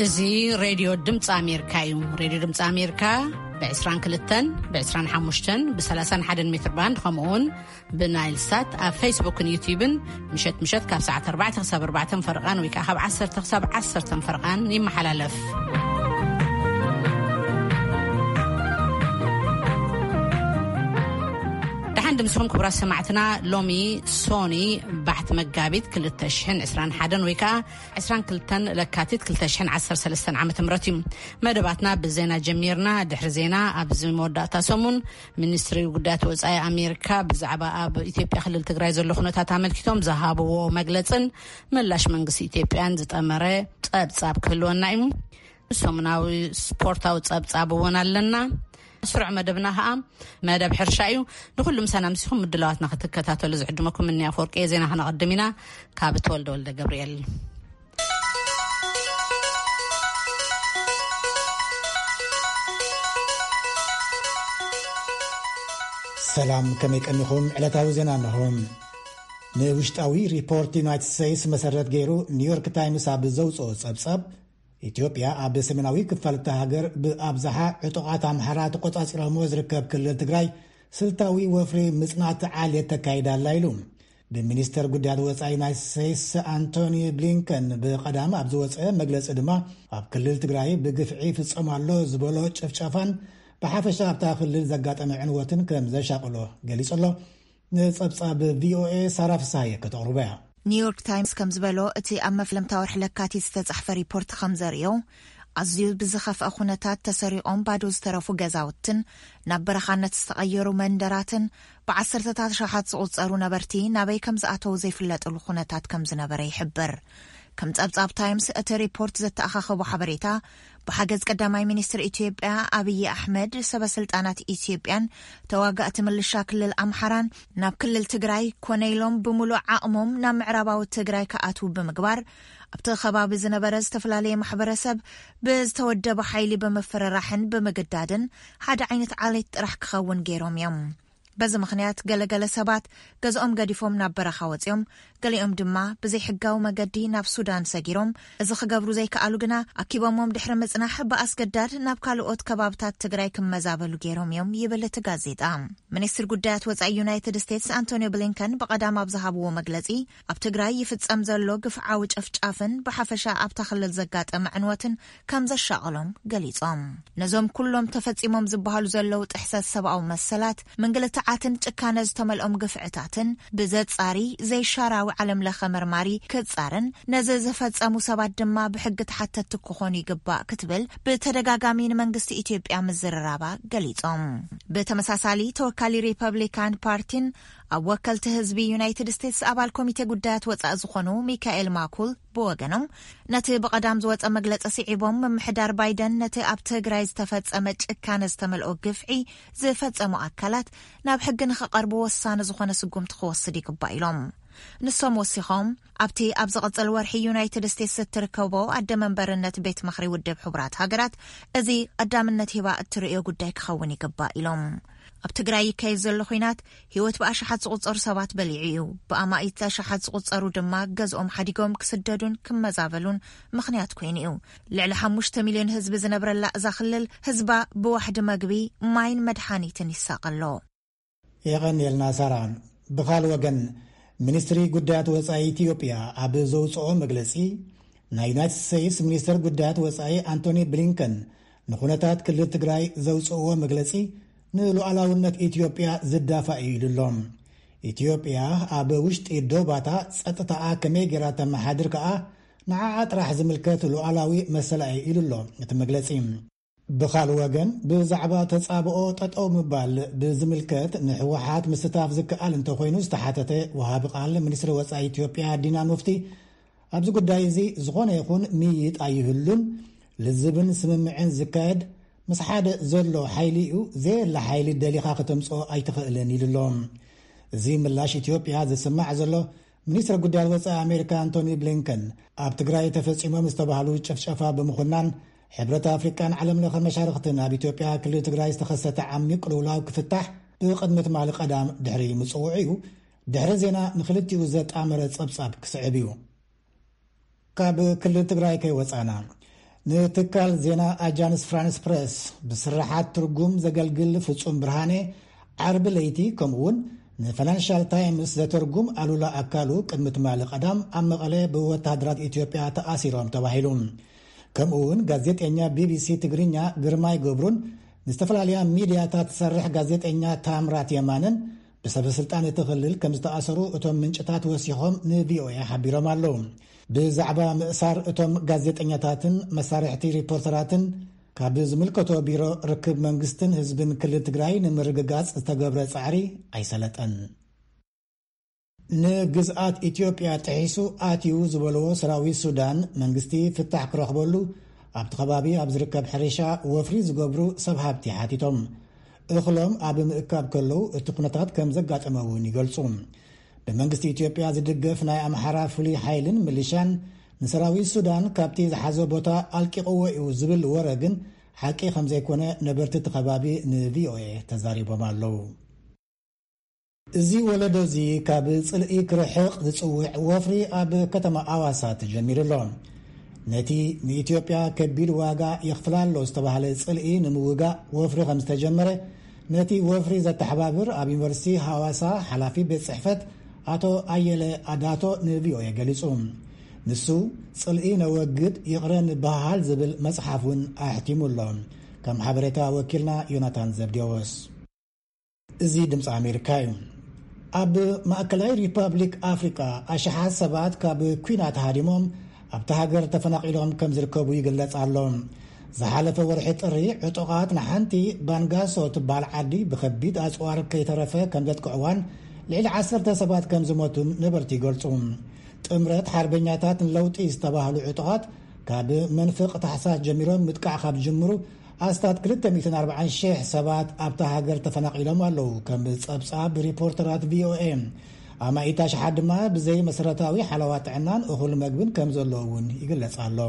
እዚ ሬድዮ ድምፂ ኣሜሪካ እዩ። ሬድዮ ድምፂ ኣሜሪካ ብ22፣ ብ25፣ ብ31 ሜትር ባንድ፣ ከምኡውን ብናይል ሳት ኣብ ፌስቡክን ዩቲዩብን ምሸት ምሸት ካብ ሰዓት ኣርባዕተ ክሳብ ኣርባዕተ ፈርቓን ወይ ከዓ ካብ ዓሰርተ ክሳብ ዓሰርተ ፈርቓን ይመሓላለፍ። ደሓን ድምስኹም ክቡራት ሰማዕትና። ሎሚ ሶኒ ባሕቲ መጋቢት ክልተ ሽሕን ዕስራን ሓደን ወይ ከዓ ዕስራን ክልተን ለካቲት ክልተ ሽሕን ዓሰርተ ሰለስተን ዓመተ ምህረት እዩ። መደባትና ብዜና ጀሚርና። ድሕሪ ዜና፣ ኣብዚ መወዳእታ ሰሙን ሚኒስትሪ ጉዳያት ወጻኢ ኣሜሪካ ብዛዕባ ኣብ ኢትዮጵያ ክልል ትግራይ ዘሎ ኩነታት ኣመልኪቶም ዝሃብዎ መግለጽን ምላሽ መንግስቲ ኢትዮጵያን ዝጠመረ ጸብጻብ ክህልወና እዩ። ሰሙናዊ ስፖርታዊ ጸብጻብ እውን ኣለና። ስሩዕ መደብና ኸዓ መደብ ሕርሻ እዩ። ንኹሉ ምሳና ምሲኹም ምድላዋትና ክትከታተሉ ዝዕድመኩም እኒ ኣፈወርቂ እየ። ዜና ከነቐድም ኢና። ካብ ተወልደ ወልደ ገብርኤል። ሰላም፣ ከመይ ቀኒኹም? ዕለታዊ ዜና እንሆ። ንውሽጣዊ ሪፖርት ዩናይትድ ስቴትስ መሰረት ገይሩ፣ ኒውዮርክ ታይምስ ኣብ ዘውፅኦ ጸብጻብ፣ ኢትዮጵያ ኣብ ሰሜናዊ ክፋል እታ ሃገር ብኣብዝሓ ዕጡቓት ኣምሓራ ተቆጻጺሮምዎ ዝርከብ ክልል ትግራይ ስልታዊ ወፍሪ ምጽናት ዓሌት ተካይዳ ኣላ ኢሉ። ብሚኒስተር ጉዳያት ወጻኢ ዩናይትድ ስቴትስ ኣንቶኒ ብሊንከን ብቐዳም ኣብ ዝወጸ መግለጺ ድማ፣ ኣብ ክልል ትግራይ ብግፍዒ ይፍጸም ኣሎ ዝበሎ ጭፍጨፋን ብሓፈሻ ኣብታ ክልል ዘጋጠመ ዕንወትን ከም ዘሻቕሎ ገሊጹ ኣሎ። ንጸብጻብ ቪኦኤ ሳራ ፍሳሃየ ከተቕርቦ እያ። ኒውዮርክ ታይምስ ከም ዝበሎ፣ እቲ ኣብ መፍለምታ ወርሒ ለካቲት ዝተጻሕፈ ሪፖርት ከም ዘርእዮ፣ ኣዝዩ ብዝኸፍአ ኩነታት ተሰሪቖም ባዶ ዝተረፉ ገዛውትን ናብ በረኻነት ዝተቐየሩ መንደራትን ብዓሰርተታት ኣሽሓት ዝቑጸሩ ነበርቲ ናበይ ከም ዝኣተዉ ዘይፍለጥሉ ኩነታት ከም ዝነበረ ይሕብር። ከም ጸብጻብ ታይምስ፣ እቲ ሪፖርት ዘተኣኻኸቦ ሓበሬታ፣ ብሓገዝ ቀዳማይ ሚኒስትር ኢትዮጵያ ኣብይ ኣሕመድ፣ ሰበ ስልጣናት ኢትዮጵያን ተዋጋእቲ ምልሻ ክልል ኣምሓራን ናብ ክልል ትግራይ ኮነ ኢሎም ብምሉእ ዓቕሞም ናብ ምዕራባዊ ትግራይ ክኣትዉ ብምግባር፣ ኣብቲ ከባቢ ዝነበረ ዝተፈላለየ ማሕበረሰብ ብዝተወደበ ሓይሊ ብምፍርራሕን ብምግዳድን ሓደ ዓይነት ዓሌት ጥራሕ ክኸውን ገይሮም እዮም። በዚ ምኽንያት ገለገለ ሰባት ገዝኦም ገዲፎም ናብ በረኻ ወፂኦም፣ ገሊኦም ድማ ብዘይሕጋዊ መገዲ ናብ ሱዳን ሰጊሮም። እዚ ክገብሩ ዘይከኣሉ ግና ኣኪቦሞም ድሕሪ ምጽናሕ ብኣስገዳድ ናብ ካልኦት ከባብታት ትግራይ ክመዛበሉ ገይሮም እዮም ይብል እቲ ጋዜጣ። ሚኒስትር ጉዳያት ወጻኢ ዩናይትድ ስቴትስ ኣንቶኒዮ ብሊንከን ብቐዳም ኣብ ዝሃብዎ መግለጺ፣ ኣብ ትግራይ ይፍጸም ዘሎ ግፍዓዊ ጨፍጫፍን ብሓፈሻ ኣብታ ክልል ዘጋጠመ ዕንወትን ከም ዘሻቐሎም ገሊጾም። ነዞም ኩሎም ተፈጺሞም ዝበሃሉ ዘለዉ ጥሕሰት ሰብኣዊ መሰላት፣ ምንግልታዓትን ጭካነ ዝተመልኦም ግፍዕታትን ብዘጻሪ ዘይሻራዊ ዓለም ለኸ መርማሪ ክጻርን፣ ነዚ ዝፈጸሙ ሰባት ድማ ብሕጊ ተሓተትቲ ክኾኑ ይግባእ ክትብል ብተደጋጋሚ ንመንግስቲ ኢትዮጵያ ምዝርራባ ገሊጾም። ብተመሳሳሊ፣ ተወካሊ ሪፐብሊካን ፓርቲን ኣብ ወከልቲ ህዝቢ ዩናይትድ ስቴትስ ኣባል ኮሚቴ ጉዳያት ወጻኢ ዝኾኑ ሚካኤል ማኩል ብወገኖም፣ ነቲ ብቐዳም ዝወጸ መግለጺ ስዒቦም፣ ምምሕዳር ባይደን ነቲ ኣብ ትግራይ ዝተፈጸመ ጭካነ ዝተመልኦ ግፍዒ ዝፈጸሙ ኣካላት ናብ ሕጊ ንኽቐርቡ ወሳኒ ዝኾነ ስጉምቲ ክወስድ ይግባእ ኢሎም። ንሶም ወሲኾም፣ ኣብቲ ኣብ ዝቕጽል ወርሒ ዩናይትድ ስቴትስ እትርከቦ ኣደ መንበርነት ቤት ምኽሪ ውድብ ሕቡራት ሃገራት፣ እዚ ቀዳምነት ሂባ እትርእዮ ጉዳይ ክኸውን ይግባእ ኢሎም። ኣብ ትግራይ ይካየድ ዘሎ ኹናት ህይወት ብኣሽሓት ዝቑጸሩ ሰባት በሊዑ እዩ። ብኣማኢት ኣሽሓት ዝቑጸሩ ድማ ገዝኦም ሓዲጎም ክስደዱን ክመዛበሉን ምኽንያት ኮይኑ እዩ። ልዕሊ ሓሙሽተ ሚልዮን ህዝቢ ዝነብረላ እዛ ክልል፣ ህዝባ ብዋሕዲ መግቢ፣ ማይን መድሓኒትን ይሳቐ ኣሎ። የቐንየልና ሳራ። ብኻል ወገን፣ ሚኒስትሪ ጉዳያት ወጻኢ ኢትዮጵያ ኣብ ዘውጽኦ መግለጺ፣ ናይ ዩናይትድ ስቴትስ ሚኒስትር ጉዳያት ወጻኢ ኣንቶኒ ብሊንከን ንኹነታት ክልል ትግራይ ዘውጽእዎ መግለጺ ንሉዓላውነት ኢትዮጵያ ዝዳፋእ እዩ ኢሉ ኣሎ። ኢትዮጵያ ኣብ ውሽጢ ዶባታ ጸጥታኣ ከመይ ጌራ ተመሓድር ከኣ ንዓኣ ጥራሕ ዝምልከት ሉዓላዊ መሰላ እዩ ኢሉ ኣሎ እቲ መግለጺ። ብኻል ወገን፣ ብዛዕባ ተጻብኦ ጠጠው ምባል ብዝምልከት ንህወሓት ምስታፍ ዝከኣል እንተኾይኑ ዝተሓተተ ወሃቢ ቃል ሚኒስትሪ ወጻኢ ኢትዮጵያ ዲና ሙፍቲ፣ ኣብዚ ጉዳይ እዚ ዝኾነ ይኹን ምይይጥ ኣይህሉን፣ ልዝብን ስምምዕን ዝካየድ ምስ ሓደ ዘሎ ሓይሊ እዩ፣ ዘየለ ሓይሊ ደሊኻ ከተምጽኦ ኣይትኽእልን ኢሉ ኣሎ። እዚ ምላሽ ኢትዮጵያ ዝስማዕ ዘሎ፣ ሚኒስትር ጉዳያት ወጻኢ ኣሜሪካ ኣንቶኒ ብሊንከን ኣብ ትግራይ ተፈጺሞም ዝተባህሉ ጭፍጨፋ ብምኹናን፣ ሕብረት ኣፍሪቃን ዓለም ለኸ መሻርኽትን ኣብ ኢትዮጵያ ክልል ትግራይ ዝተኸሰተ ዓሚቕ ቅልውላው ክፍታሕ ብቕድሚ ትማሊ ቀዳም ድሕሪ ምጽውዑ እዩ። ድሕሪ ዜና ንኽልቲኡ ዘጣመረ ጸብጻብ ክስዕብ እዩ። ካብ ክልል ትግራይ ከይወጻና፣ ንትካል ዜና ኣጃንስ ፍራንስ ፕረስ ብስርሓት ትርጉም ዘገልግል ፍጹም ብርሃኔ ዓርቢ ለይቲ፣ ከምኡውን ንፋይናንሻል ታይምስ ዘተርጉም ኣሉላ ኣካሉ ቅድሚ ትማሊ ቀዳም ኣብ መቐለ ብወተሃደራት ኢትዮጵያ ተኣሲሮም ተባሂሉ። ከምኡውን ጋዜጠኛ ቢቢሲ ትግርኛ ግርማይ ገብሩን ንዝተፈላለያ ሚድያታት ትሰርሕ ጋዜጠኛ ታምራት የማነን ብሰበ ስልጣን እቲ ክልል ከም ዝተኣሰሩ እቶም ምንጭታት ወሲኾም ንቪኦኤ ሓቢሮም ኣለዉ። ብዛዕባ ምእሳር እቶም ጋዜጠኛታትን መሳርሕቲ ሪፖርተራትን ካብ ዝምልከቶ ቢሮ ርክብ መንግስትን ህዝብን ክልል ትግራይ ንምርግጋጽ ዝተገብረ ጻዕሪ ኣይሰለጠን። ንግዝኣት ኢትዮጵያ ጥሒሱ ኣትዩ ዝበልዎ ሰራዊት ሱዳን መንግስቲ ፍታሕ ክረኽበሉ ኣብቲ ከባቢ ኣብ ዝርከብ ሕርሻ ወፍሪ ዝገብሩ ሰብ ሃብቲ ሓቲቶም። እኽሎም ኣብ ምእካብ ከለዉ እቲ ኩነታት ከም ዘጋጠመ እውን ይገልጹ። ብመንግስቲ ኢትዮጵያ ዝድገፍ ናይ ኣምሓራ ፍሉይ ሓይልን ምልሻን ንሰራዊት ሱዳን ካብቲ ዝሓዞ ቦታ ኣልቂቕዎ እዩ ዝብል ወረ ግን ሓቂ ከም ዘይኮነ ነበርቲ እቲ ከባቢ ንቪኦኤ ተዛሪቦም ኣለዉ። እዚ ወለዶ እዚ ካብ ጽልኢ ክርሕቕ ዝጽውዕ ወፍሪ ኣብ ከተማ ኣዋሳ ተጀሚሩ ኣሎ። ነቲ ንኢትዮጵያ ከቢድ ዋጋ የኽፍላ ኣሎ ዝተባህለ ጽልኢ ንምውጋእ ወፍሪ ከም ዝተጀመረ ነቲ ወፍሪ ዘተሓባብር ኣብ ዩኒቨርሲቲ ሃዋሳ ሓላፊ ቤት ጽሕፈት ኣቶ ኣየለ ኣዳቶ ንቪኦኤ ገሊጹ። ንሱ ጽልኢ ነወግድ ይቕረ ንበሃል ዝብል መጽሓፍ እውን ኣሕቲሙ ኣሎ። ከም ሓበሬታ ወኪልና ዮናታን ዘብዴዎስ። እዚ ድምፂ ኣሜሪካ እዩ። ኣብ ማእከላይ ሪፐብሊክ ኣፍሪቃ ኣሽሓት ሰባት ካብ ኲናት ሃዲሞም ኣብቲ ሃገር ተፈናቒሎም ከም ዝርከቡ ይግለጽ ኣሎ። ዝሓለፈ ወርሒ ጥሪ ዕጡቓት ንሓንቲ ባንጋሶ ትበሃል ዓዲ ብኸቢድ ኣጽዋር ከይተረፈ ከም ዘጥቅዕዋን ልዕሊ ዓሰርተ ሰባት ከም ዝሞቱን ነበርቲ ይገልጹ። ጥምረት ሓርበኛታት ንለውጢ ዝተባህሉ ዕጡቓት ካብ መንፍቕ ታሕሳስ ጀሚሮም ምጥቃዕ ካብ ዝጅምሩ ኣስታት ክልተ ሚእትን ኣርባዓን ሽሕ ሰባት ኣብታ ሃገር ተፈናቒሎም ኣለዉ፣ ከም ጸብጻብ ሪፖርተራት ቪኦኤ። ኣማኢት ኣሽሓት ድማ ብዘይ መሰረታዊ ሓለዋ ጥዕናን እኹል መግብን ከም ዘሎ እውን ይግለጽ ኣሎ።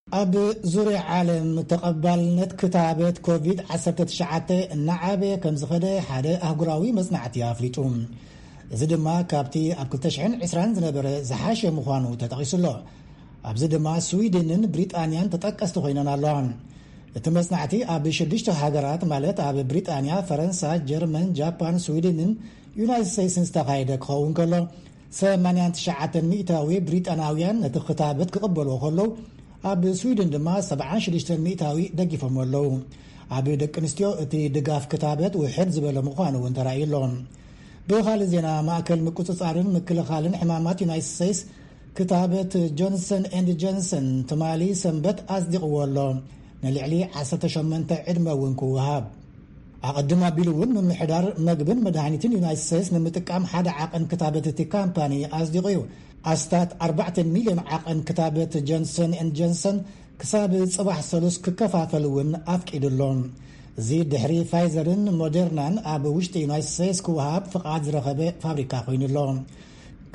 ኣብ ዙርያ ዓለም ተቐባልነት ክታበት ኮቪድ ዓሰርተ ትሽዓተ እናዓበየ ከም ዝኸደ ሓደ ኣህጉራዊ መጽናዕቲ ኣፍሊጡ። እዚ ድማ ካብቲ ኣብ ክልተ ሽሕን ዕስራን ዝነበረ ዝሓሸ ምዃኑ ተጠቒሱ ኣሎ። ኣብዚ ድማ ስዊድንን ብሪጣንያን ተጠቀስቲ ኮይነን ኣለዋ። እቲ መጽናዕቲ ኣብ ሽዱሽተ ሃገራት፣ ማለት ኣብ ብሪጣንያ፣ ፈረንሳ፣ ጀርመን፣ ጃፓን፣ ስዊድንን ዩናይትድ ስቴትስን ዝተኻየደ ክኸውን ከሎ፣ ሰማንያን ትሽዓተን ሚእታዊ ብሪጣናውያን ነቲ ክታበት ክቕበልዎ ከለዉ፣ ኣብ ስዊድን ድማ ሰብዓን ሽዱሽተን ሚእታዊ ደጊፎም ኣለዉ። ኣብ ደቂ ኣንስትዮ እቲ ድጋፍ ክታበት ውሕድ ዝበለ ምዃኑ እውን ተራእዩ ኣሎ። ብኻልእ ዜና፣ ማእከል ምቁጽጻርን ምክልኻልን ሕማማት ዩናይትድ ስቴትስ ክታበት ጆንሰን ኤንድ ጆንሰን ትማሊ ሰንበት ኣጽዲቕዎ ኣሎ። ንልዕሊ ዓሰርተ ሸሞንተ ዕድመ እውን ክወሃብ። ኣቐድም ኣቢሉ እውን ምምሕዳር መግብን መድሃኒትን ዩናይትድ ስቴትስ ንምጥቃም ሓደ ዓቐን ክታበት እቲ ካምፓኒ ኣጽዲቑ እዩ። ኣስታት ኣርባዕተ ሚልዮን ዓቐን ክታበት ጆንሰን ኤንድ ጆንሰን ክሳብ ጽባሕ ሰሉስ ክከፋፈል እውን ኣፍቂዱ ኣሎ። እዚ ድሕሪ ፋይዘርን ሞደርናን ኣብ ውሽጢ ዩናይትድ ስቴትስ ክወሃብ ፍቓድ ዝረኸበ ፋብሪካ ኮይኑ ኣሎ።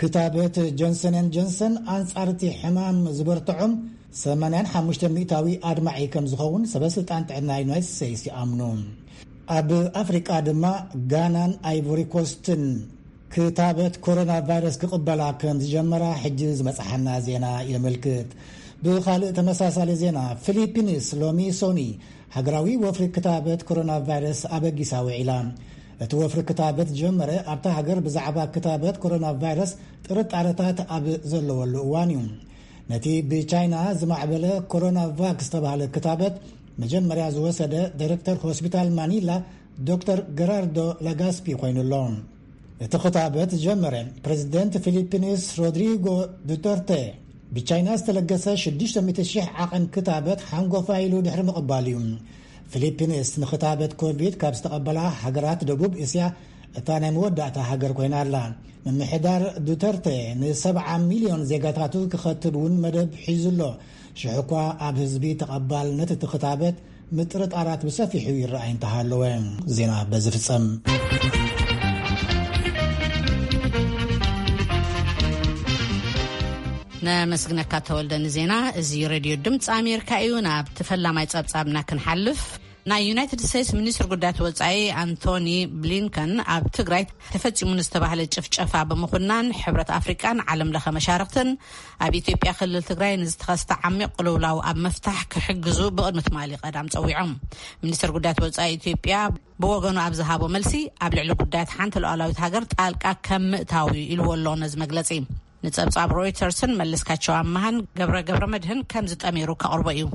ክታበት ጆንሰን ኤንድ ጆንሰን ኣንጻር እቲ ሕማም ዝበርትዖም ሰማንያን ሓሙሽተ ሚእታዊ ኣድማዒ ከም ዝኸውን ሰበ ስልጣን ጥዕና ዩናይትድ ስቴትስ ይኣምኑ። ኣብ ኣፍሪቃ ድማ ጋናን ኣይቮሪ ኮስትን ክታበት ኮሮና ቫይረስ ክቕበላ ከም ዝጀመራ ሕጂ ዝመጽሓና ዜና የመልክት። ብኻልእ ተመሳሳሊ ዜና፣ ፊሊፒንስ ሎሚ ሶኒ ሃገራዊ ወፍሪ ክታበት ኮሮና ቫይረስ ኣበጊሳ ውዒላ። እቲ ወፍሪ ክታበት ጀመረ ኣብታ ሃገር ብዛዕባ ክታበት ኮሮና ቫይረስ ጥርጣረታት ኣብ ዘለወሉ እዋን እዩ። ነቲ ብቻይና ዝማዕበለ ኮሮና ቫክ ዝተባህለ ክታበት መጀመርያ ዝወሰደ ዳይሬክተር ሆስፒታል ማኒላ ዶክተር ገራርዶ ለጋስፒ ኮይኑ ኣሎ። እቲ ክታበት ዝጀመረ ፕሬዚደንት ፊሊፒንስ ሮድሪጎ ዱተርቴ ብቻይና ዝተለገሰ ሽዱሽተ ሚእቲ ሽሕ ዓቐን ክታበት ሓንጎፋ ኢሉ ድሕሪ ምቕባሉ እዩ። ፊሊፒንስ ንክታበት ኮቪድ ካብ ዝተቐበላ ሃገራት ደቡብ እስያ እታ ናይ መወዳእታ ሃገር ኮይና ኣላ። ምምሕዳር ዱተርቴ ንሰብዓ ሚልዮን ዜጋታቱ ክኸትብ እውን መደብ ሒዙ ኣሎ። ሽሕ እኳ ኣብ ህዝቢ ተቐባልነት እቲ ክታበት ምጥርጣራት ብሰፊሑ ይረኣይ እንተሃለወ። ዜና በዚ ፍጸም። ነመስግነካ ተወልደ ንዜና። እዚ ሬድዮ ድምፂ ኣሜሪካ እዩ። ናብ ተፈላማይ ጸብጻብና ክንሓልፍ፣ ናይ ዩናይትድ ስቴትስ ሚኒስትር ጉዳያት ወጻኢ ኣንቶኒ ብሊንከን ኣብ ትግራይ ተፈጺሙ ንዝተባህለ ጭፍጨፋ ብምኹናን፣ ሕብረት ኣፍሪቃን ዓለም ለኸ መሻርክትን ኣብ ኢትዮጵያ ክልል ትግራይ ንዝተኸስተ ዓሚቕ ቅልውላው ኣብ ምፍታሕ ክሕግዙ ብቕድሚ ትማሊ ቀዳም ጸዊዖም። ሚኒስትር ጉዳያት ወጻኢ ኢትዮጵያ ብወገኑ ኣብ ዝሃቦ መልሲ፣ ኣብ ልዕሊ ጉዳያት ሓንቲ ሉዓላዊት ሃገር ጣልቃ ከም ምእታው እዩ ኢልዎ ኣሎ ነዚ መግለጺ። ንጸብጻብ ሮይተርስን መለስካቸው ኣመሃን ገብረ ገብረ መድህን ከም ዝጠሚሩ ከቕርቦ እዩ።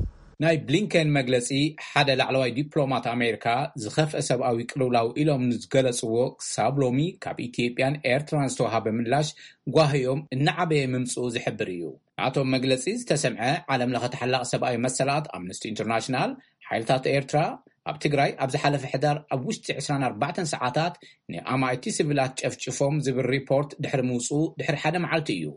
ናይ ብሊንከን መግለጺ፣ ሓደ ላዕለዋይ ዲፕሎማት ኣሜሪካ ዝኸፍአ ሰብኣዊ ቅልውላው ኢሎም ንዝገለጽዎ፣ ክሳብ ሎሚ ካብ ኢትዮጵያን ኤርትራን ዝተዋሃበ ምላሽ ጓህዮም እናዓበየ ምምጽኡ ዝሕብር እዩ። ናቶም መግለጺ ዝተሰምዐ፣ ዓለም ለኸ ተሓላቒ ሰብኣዊ መሰላት ኣምነስቲ ኢንተርናሽናል፣ ሓይልታት ኤርትራ ኣብ ትግራይ ኣብ ዝሓለፈ ሕዳር ኣብ ውሽጢ ዕስራን ኣርባዕተን ሰዓታት ንኣማኢቲ ሲቪላት ጨፍጭፎም ዝብል ሪፖርት ድሕሪ ምውፅኡ ድሕሪ ሓደ መዓልቲ እዩ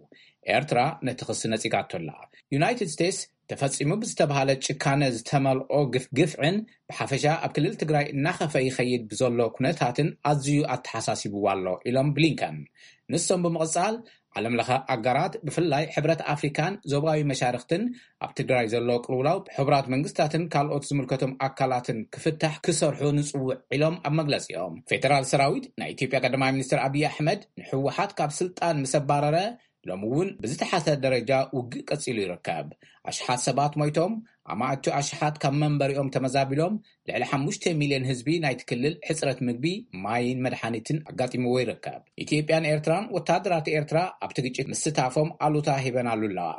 ኤርትራ ነቲ ክሲ ነፂጋቶ ኣላ። ዩናይትድ ስቴትስ ተፈጺሙ ብዝተባሃለ ጭካነ ዝተመልኦ ግፍ-፣ ግፍዕን ብሓፈሻ ኣብ ክልል ትግራይ እናኸፈ ይኸይድ ብዘሎ ኩነታትን ኣዝዩ ኣተሓሳሲብዋ ኣሎ ኢሎም ብሊንከን። ንሶም ብምቕጻል፣ ዓለም ለኸ ኣጋራት ብፍላይ ሕብረት ኣፍሪካን ዞባዊ መሻርክትን ኣብ ትግራይ ዘሎ ቅልውላው ብሕቡራት መንግስታትን ካልኦት ዝምልከቶም ኣካላትን ክፍታሕ ክሰርሑ ንጽውዕ ኢሎም ኣብ መግለጺኦም። ፌደራል ሰራዊት ናይ ኢትዮጵያ ቀዳማይ ሚኒስትር ኣብይ ኣሕመድ ንህወሓት ካብ ስልጣን ምስ ኣባረረ ሎሚ እውን ብዝተሓተ ደረጃ ውግእ ቀጺሉ ይርከብ። ኣሽሓት ሰባት ሞይቶም፣ ኣማእቲ ኣሽሓት ካብ መንበሪኦም ተመዛቢሎም፣ ልዕሊ ሓሙሽተ ሚልዮን ህዝቢ ናይቲ ክልል ሕጽረት ምግቢ፣ ማይን መድሓኒትን ኣጋጢምዎ ይርከብ። ኢትዮጵያን ኤርትራን ወታደራት ኤርትራ ኣብቲ ግጭት ምስታፎም ኣሉታ ሂበናሉ ኣለዋ።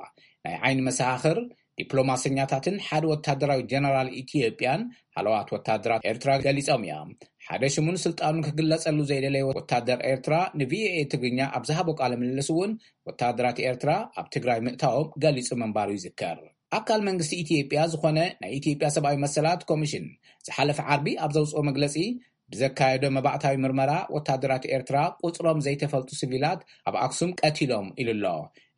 ናይ ዓይኒ መሰኻኽር፣ ዲፕሎማሰኛታትን ሓደ ወታደራዊ ጀነራል ኢትዮጵያን ሃለዋት ወታደራት ኤርትራ ገሊጾም እዮም። ሓደ ሽሙን ስልጣኑን ክግለጸሉ ዘይደለየ ወታደር ኤርትራ ንቪኦኤ ትግርኛ ኣብ ዝሃቦ ቃለ ምልልስ እውን ወታደራት ኤርትራ ኣብ ትግራይ ምእታዎም ገሊጹ ምንባሩ ይዝከር። ኣካል መንግስቲ ኢትዮጵያ ዝኾነ ናይ ኢትዮጵያ ሰብኣዊ መሰላት ኮሚሽን ዝሓለፈ ዓርቢ ኣብ ዘውፅኦ መግለፂ፣ ብዘካየዶ መባእታዊ ምርመራ ወታደራት ኤርትራ ቁፅሮም ዘይተፈልጡ ሲቪላት ኣብ ኣክሱም ቀቲሎም ኢሉ ኣሎ።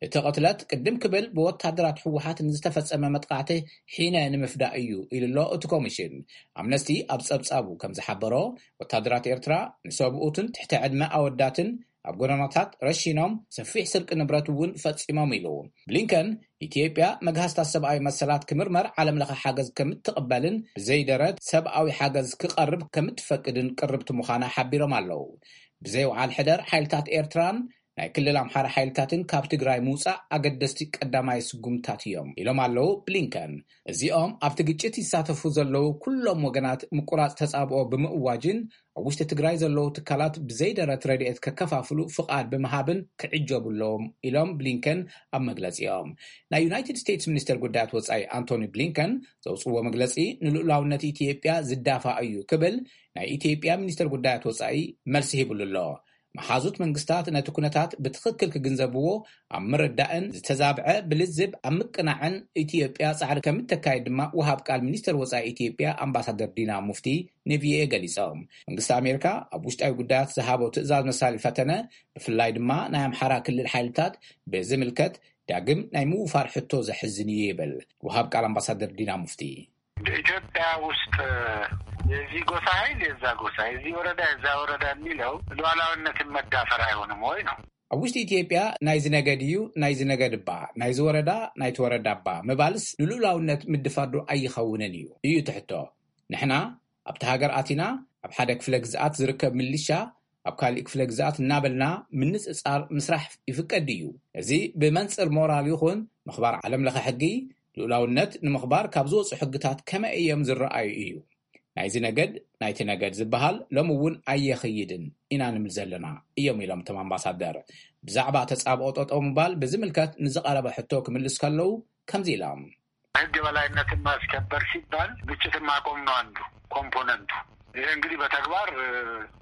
እቲ ቅትለት ቅድም ክብል ብወታደራት ህወሓት ንዝተፈጸመ መጥቃዕቲ ሒነ ንምፍዳእ እዩ ኢሉ ኣሎ እቲ ኮሚሽን። ኣምነስቲ ኣብ ጸብጻቡ ከም ዝሓበሮ፣ ወታደራት ኤርትራ ንሰብኡትን ትሕቲ ዕድመ ኣወዳትን ኣብ ጎደናታት ረሺኖም ሰፊሕ ስርቂ ንብረት እውን ፈጺሞም ኢሉ። ብሊንከን፣ ኢትዮጵያ መግሃስታት ሰብኣዊ መሰላት ክምርመር ዓለም ለኸ ሓገዝ ከምትቕበልን ብዘይደረት ሰብኣዊ ሓገዝ ክቐርብ ከምትፈቅድን ቅርብቲ ምዃና ሓቢሮም ኣለዉ። ብዘይ ወዓል ሕደር ሓይልታት ኤርትራን ናይ ክልል ኣምሓራ ሓይልታትን ካብ ትግራይ ምውጻእ ኣገደስቲ ቀዳማይ ስጉምታት እዮም ኢሎም ኣለዉ ብሊንከን። እዚኦም ኣብቲ ግጭት ይሳተፉ ዘለዉ ኩሎም ወገናት ምቁራጽ ተጻብኦ ብምእዋጅን ኣብ ውሽጢ ትግራይ ዘለዉ ትካላት ብዘይደረት ረድኤት ከከፋፍሉ ፍቓድ ብምሃብን ክዕጀቡ ኣለዎም ኢሎም ብሊንከን ኣብ መግለጺኦም። ናይ ዩናይትድ ስቴትስ ሚኒስተር ጉዳያት ወጻኢ ኣንቶኒ ብሊንከን ዘውጽዎ መግለጺ ንልኡላውነት ኢትዮጵያ ዝዳፋ እዩ ክብል ናይ ኢትዮጵያ ሚኒስተር ጉዳያት ወጻኢ መልሲ ሂብሉ ኣሎ። መሓዙት መንግስታት ነቲ ኩነታት ብትኽክል ክግንዘብዎ ኣብ ምርዳእን ዝተዛብዐ ብልዝብ ኣብ ምቅናዕን ኢትዮጵያ ጻዕሪ ከምተካይድ ድማ ወሃብ ቃል ሚኒስተር ወጻኢ ኢትዮጵያ ኣምባሳደር ዲና ሙፍቲ ንቪኦኤ ገሊጾም። መንግስቲ ኣሜሪካ ኣብ ውሽጣዊ ጉዳያት ዝሃቦ ትእዛዝ መሳሊ ፈተነ፣ ብፍላይ ድማ ናይ ኣምሓራ ክልል ሓይልታት ብዝምልከት ዳግም ናይ ምውፋር ሕቶ ዘሕዝን እዩ ይብል ወሃብ ቃል ኣምባሳደር ዲና ሙፍቲ። ኢትዮጵያ ውስጥ የዚህ ጎሳ ኃይል የዛ ጎሳ፣ የዚህ ወረዳ የዛ ወረዳ የሚለው ሉዓላዊነትን መዳፈር አይሆንም ወይ ነው? ኣብ ውሽጢ ኢትዮጵያ ናይዚ ነገድ እዩ፣ ናይዚ ነገድ እባ፣ ናይዚ ወረዳ፣ ናይቲ ወረዳ እባ ምባልስ ንልኡላውነት ምድፋር ዶ ኣይኸውንን እዩ? እዩ እቲ ሕቶ። ንሕና ኣብቲ ሃገር ኣቲና ኣብ ሓደ ክፍለ ግዝኣት ዝርከብ ምልሻ ኣብ ካሊእ ክፍለ ግዝኣት እናበልና ምንጽጻር ምስራሕ ይፍቀድ ድዩ? እዚ ብመንጽር ሞራል ይኹን ምኽባር ዓለም ለኸ ሕጊ፣ ልኡላውነት ንምኽባር ካብ ዝወጹ ሕግታት ከመይ እዮም ዝረኣዩ እዩ። ናይዚ ነገድ ናይቲ ነገድ ዝበሃል ሎሚ እውን ኣየኽይድን ኢና ንምል ዘለና እዮም ኢሎም እቶም ኣምባሳደር። ብዛዕባ ተጻብኦ ጠጠው ምባል ብዝምልከት ንዝቐረበ ሕቶ ክምልስ ከለዉ ከምዚ ኢሎም። ህግ የበላይነትን ማስከበር ሲባል ግጭትን ማቆም ነው አንዱ ኮምፖነንቱ። ይሄ እንግዲህ በተግባር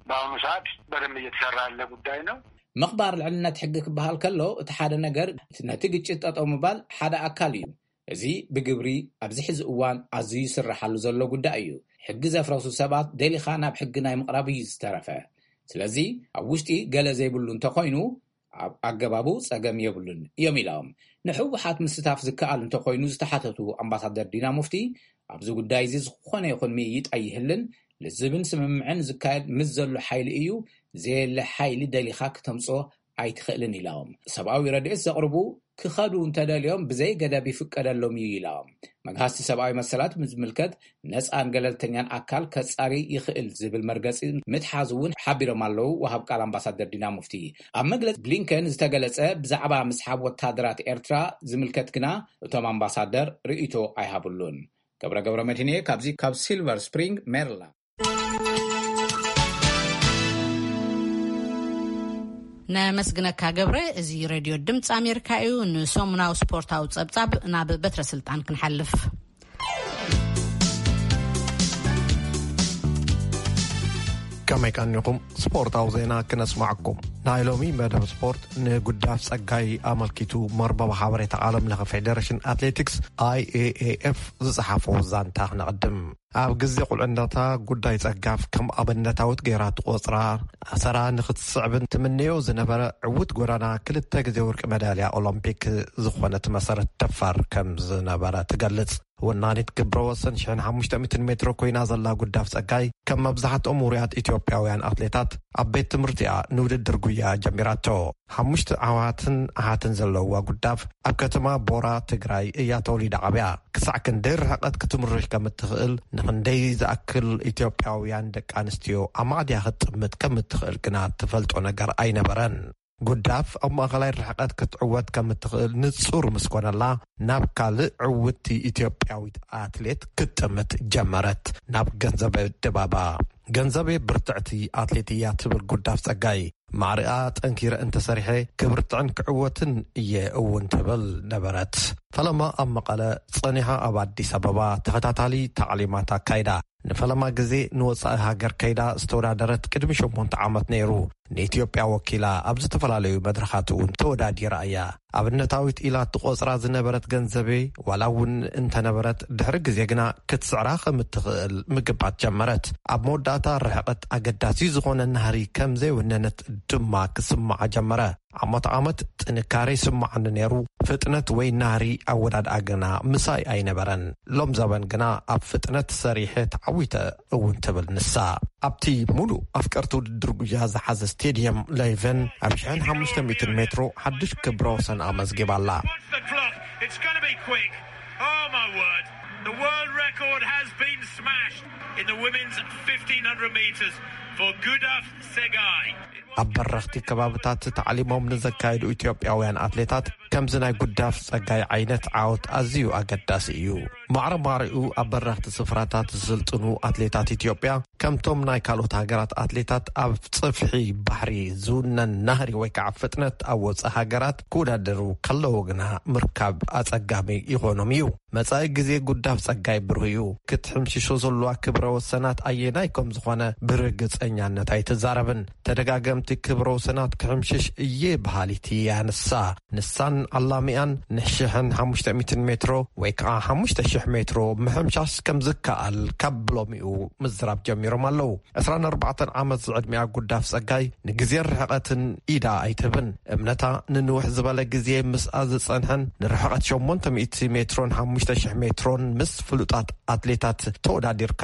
በአሁኑ ሰዓት በደንብ እየተሰራ ያለ ጉዳይ ነው። ምኽባር ልዕልነት ሕጊ ክበሃል ከሎ እቲ ሓደ ነገር ነቲ ግጭት ጠጠው ምባል ሓደ ኣካል እዩ። እዚ ብግብሪ ኣብዚ ሕዚ እዋን ኣዝዩ ይስረሓሉ ዘሎ ጉዳይ እዩ። ሕጊ ዘፍረሱ ሰባት ደሊኻ ናብ ሕጊ ናይ ምቕራብ እዩ ዝተረፈ። ስለዚ ኣብ ውሽጢ ገለ ዘይብሉ እንተኾይኑ ኣብ ኣገባቡ ጸገም የብሉን እዮም ኢሎም። ንህወሓት ምስታፍ ዝከኣል እንተኾይኑ ዝተሓተቱ ኣምባሳደር ዲና ሙፍቲ፣ ኣብዚ ጉዳይ እዚ ዝኾነ ይኹን ምይይጥ ኣይህልን፣ ልዝብን ስምምዕን ዝካየድ ምስ ዘሎ ሓይሊ እዩ፣ ዘየለ ሓይሊ ደሊኻ ክተምጽኦ ኣይትኽእልን ኢሎም። ሰብኣዊ ረድኤት ዘቕርቡ ክኸዱ እንተደልዮም ብዘይ ገደብ ይፍቀደሎም እዩ ኢሎም። መግሃስቲ ሰብኣዊ መሰላት ምስ ዝምልከት ነፃን ገለልተኛን ኣካል ከፃሪ ይኽእል ዝብል መርገፂ ምትሓዙ እውን ሓቢሮም ኣለዉ። ወሃብ ቃል ኣምባሳደር ዲና ሙፍቲ ኣብ መግለፂ ብሊንከን ዝተገለፀ ብዛዕባ ምስሓብ ወታደራት ኤርትራ ዝምልከት ግና እቶም ኣምባሳደር ርእይቶ ኣይሃብሉን። ገብረ ገብረ መድህንየ ካብዚ ካብ ሲልቨር ስፕሪንግ ሜሪላንድ። ነመስግነካ ገብረ። እዚ ሬድዮ ድምፂ ኣሜሪካ እዩ። ንሰሙናዊ ስፖርታዊ ጸብጻብ ናብ በትረ ስልጣን ክንሓልፍ። ከመይ ቀኒኹም? ስፖርታዊ ዜና ክነስማዕኩም። ናይ ሎሚ መደብ ስፖርት ንጉዳፍ ጸጋይ ኣመልኪቱ መርበብ ሓበሬታ ዓለም ለኸ ፌደሬሽን ኣትሌቲክስ፣ ኣይኤኤኤፍ፣ ዝጸሓፎ ዛንታ ክነቕድም። ኣብ ግዜ ቁልዕነታ ጉዳይ ጸጋፍ ከም ኣብነታዊት ገይራ ትቖጽራ፣ ኣሰራ ንኽትስዕብን ትምነዮ ዝነበረ ዕዉት ጎዳና ክልተ ግዜ ወርቂ መዳልያ ኦሎምፒክ ዝኾነት መሰረት ደፋር ከም ዝነበረ ትገልጽ። ወናኒት ክብረ ወሰን ሽሕን ሓሙሽተ ሚእትን ሜትሮ ኮይና ዘላ ጉዳፍ ጸጋይ፣ ከም መብዛሕትኦም ውሩያት ኢትዮጵያውያን ኣትሌታት፣ ኣብ ቤት ትምህርቲኣ ንውድድር ጉያ ጀሚራቶ። ሓሙሽተ ኣሕዋትን ኣሓትን ዘለውዋ ጉዳፍ፣ ኣብ ከተማ ቦራ ትግራይ እያ ተወሊዳ ዓብያ። ክሳዕ ክንደይ ርሕቀት ክትምርሽ ከም እትኽእል፣ ንኽንደይ ዝኣክል ኢትዮጵያውያን ደቂ ኣንስትዮ ኣማዕድያ ክትጥምት ከም እትኽእል ግና ትፈልጦ ነገር ኣይነበረን። ጉዳፍ ኣብ ማእኸላይ ርሕቀት ክትዕወት ከም እትኽእል ንጹር ምስ ኮነላ፣ ናብ ካልእ ዕውትቲ ኢትዮጵያዊት ኣትሌት ክትጥምት ጀመረት። ናብ ገንዘበ ድባባ። ገንዘቤ ብርትዕቲ ኣትሌት እያ ትብል ጉዳፍ ጸጋይ፣ ማዕሪኣ ጠንኪረ እንተሰሪሐ ክብርትዕን ክዕወትን እየ እውን ትብል ነበረት። ፈለማ ኣብ መቐለ ጸኒሓ ኣብ ኣዲስ ኣበባ ተኸታታሊ ታዕሊማት ኣካይዳ። ንፈለማ ግዜ ንወጻኢ ሃገር ከይዳ ዝተወዳደረት ቅድሚ ሸሞንተ ዓመት ነይሩ። ንኢትዮጵያ ወኪላ ኣብ ዝተፈላለዩ መድረኻት እውን ተወዳዲራ እያ። ኣብነታዊት ኢላ ትቖጽራ ዝነበረት ገንዘቤ፣ ዋላ እውን እንተነበረት፣ ድሕሪ ግዜ ግና ክትስዕራ ከም እትኽእል ምግባት ጀመረት። ኣብ መወዳእታ፣ ርሕቀት ኣገዳሲ ዝኾነ ናህሪ ከም ዘይወነነት ድማ ክስምዓ ጀመረ። ዓመት ዓመት ጥንካረ ይስምዓኒ ነይሩ፣ ፍጥነት ወይ ናህሪ ኣወዳድኣ ግና ምሳይ ኣይነበረን። ሎም ዘበን ግና ኣብ ፍጥነት ሰሪሐ ተዓዊተ እውን ትብል ንሳ። ኣብቲ ሙሉእ ኣፍቀርቲ ውድድር ጉያ ዝሓዘ ስቴድየም ሌቨን ኣብ ሽሕን ሓሙሽተ ሚእትን ሜትሮ ሓድሽ ክብረ ወሰን ኣመዝጊባ ኣላ። Watch the clock. It's gonna be quick. Oh my word. The world record has been smashed in the women's fifteen hundred meters for Gudaf Segai. ኣብ በረኽቲ ከባብታት ታዕሊሞም ንዘካየዱ ኢትዮጵያውያን ኣትሌታት ከምዚ ናይ ጉዳፍ ጸጋይ ዓይነት ዓወት ኣዝዩ ኣገዳሲ እዩ። ማዕረ ማዕሪኡ ኣብ በረኽቲ ስፍራታት ዝስልጥኑ ኣትሌታት ኢትዮጵያ፣ ከምቶም ናይ ካልኦት ሃገራት ኣትሌታት ኣብ ጽፍሒ ባሕሪ ዝውነን ናህሪ ወይ ከዓ ፍጥነት ኣብ ወጻኢ ሃገራት ክወዳደሩ ከለዉ ግና ምርካብ ኣጸጋሚ ይኾኖም እዩ። መጻኢ ግዜ ጉዳፍ ጸጋይ ብሩህ እዩ። ክትሕምሽሾ ዘለዋ ክብረ ወሰናት ኣየናይ ከም ዝኾነ ብርግጸኛነት ኣይትዛረብን። ተደጋገምቲ ክብረ ወሰናት ክሕምሽሽ እየ በሃሊት እያ ንሳ። ንሳን ዓላሚኣን ንሽሕን ሓሙሽተ ሚእትን ሜትሮ ወይ ከዓ ሓሙሽተ ሽሕ ሜትሮ ምሕምሻሽ ከም ዝከኣል ካብ ብሎሚኡ ምዝራብ ጀሚሮም ኣለዉ። ዕስራን ኣርባዕተን ዓመት ዝዕድሚኣ ጉዳፍ ጸጋይ ንግዜን ርሕቐትን ኢዳ ኣይትህብን። እምነታ ንንውሕ ዝበለ ግዜ ምስኣ ዝጸንሐን ንርሕቐት ሸሞንተ ሚእቲ ሜትሮን ሓሙሽተ ሽሕ ሜትሮን ምስ ፍሉጣት ኣትሌታት ተወዳዲርካ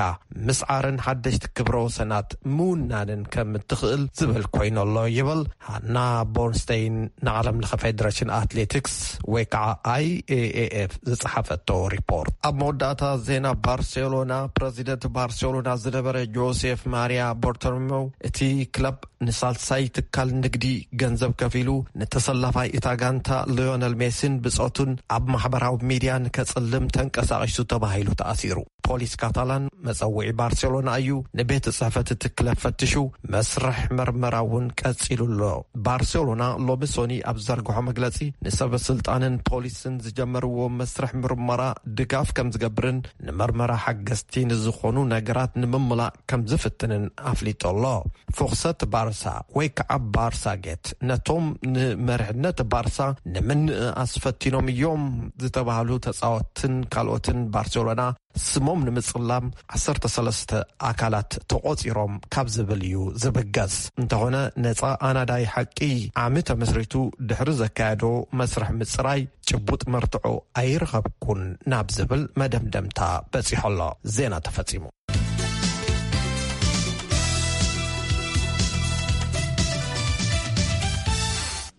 ምስዓርን ሓደሽቲ ክብረ ወሰናት ምውናንን ከም እትኽእል ዝብል ኮይኑ ኣሎ ይብል ሃና ቦርንስተይን ንዓለም ለኸ ፌደሬሽን ኣትሌቲክስ ወይ ከዓ ኣይኤኤኤፍ ዝጸሓፈቶ ሪፖርት። ኣብ መወዳእታ ዜና ባርሴሎና፣ ፕረዚደንት ባርሴሎና ዝነበረ ጆሴፍ ማሪያ ቦርቶሜው እቲ ክለብ ንሳልሳይ ትካል ንግዲ ገንዘብ ከፊሉ ንተሰላፋይ እታ ጋንታ ሊዮነል ሜሲን ብጾቱን ኣብ ማሕበራዊ ሚድያ ንከጽልም ተንቀሳቒሱ ተባሂሉ ተኣሲሩ። ፖሊስ ካታላን መጸውዒ ባርሴሎና እዩ፣ ንቤት ጽሕፈት እቲ ክለብ ፈትሹ መስርሕ መርመራ እውን ቀጺሉ ኣሎ። ባርሴሎና ሎሚ ሶኒ ኣብ ዘርግሖ መግለጺ ንሰበ ስልጣንን ፖሊስን ዝጀመርዎ መስርሕ ምርመራ ድጋፍ ከም ዝገብርን ንመርመራ ሓገዝቲ ንዝኾኑ ነገራት ንምምላእ ከም ዝፍትንን ኣፍሊጡ ኣሎ። ፍኽሰት ባርሳ ወይ ከዓ ባርሳ ጌት ነቶም ንመሪሕነት ባርሳ ንምንእኣስ ፈቲኖም እዮም ዝተባህሉ ተጻወትን ካልኦትን ባርሴሎና ስሞም ንምጽላም ዓሰርተ ሰለስተ ኣካላት ተቖጺሮም ካብ ዝብል እዩ ዝብገስ። እንተኾነ ነጻ ኣናዳይ ሓቂ ዓሚ ተመስሪቱ ድሕሪ ዘካየዶ መስርሕ ምጽራይ ጭቡጥ መርትዖ ኣይረኸብኩን ናብ ዝብል መደምደምታ በጺሖ ኣሎ። ዜና ተፈጺሙ።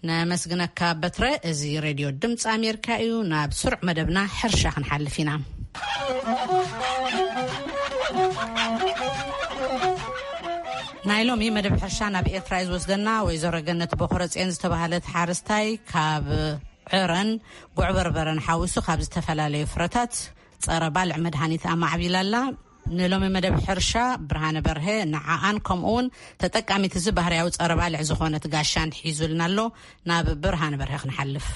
ነመስግነካ በትረ። እዚ ሬድዮ ድምፂ ኣሜሪካ እዩ። ናብ ስሩዕ መደብና ሕርሻ ክንሓልፍ ኢና። ናይ ሎሚ መደብ ሕርሻ ናብ ኤርትራ እዩ ዝወስደና። ወይዘሮ ገነት ቦኽረፅዮን ዝተባህለት ሓረስታይ ካብ ዕረን ጉዕ በርበረን ሓዊሱ ካብ ዝተፈላለዩ ፍረታት ጸረ ባልዕ መድሃኒት ኣማዕቢላ ኣላ። ንሎሚ መደብ ሕርሻ ብርሃነ በርሀ ንዓኣን ከምኡ እውን ተጠቃሚት እዚ ባህርያዊ ጸረ ባልዕ ዝኾነት ጋሻን ሒዙልና ኣሎ። ናብ ብርሃነ በርሀ ክንሓልፍ።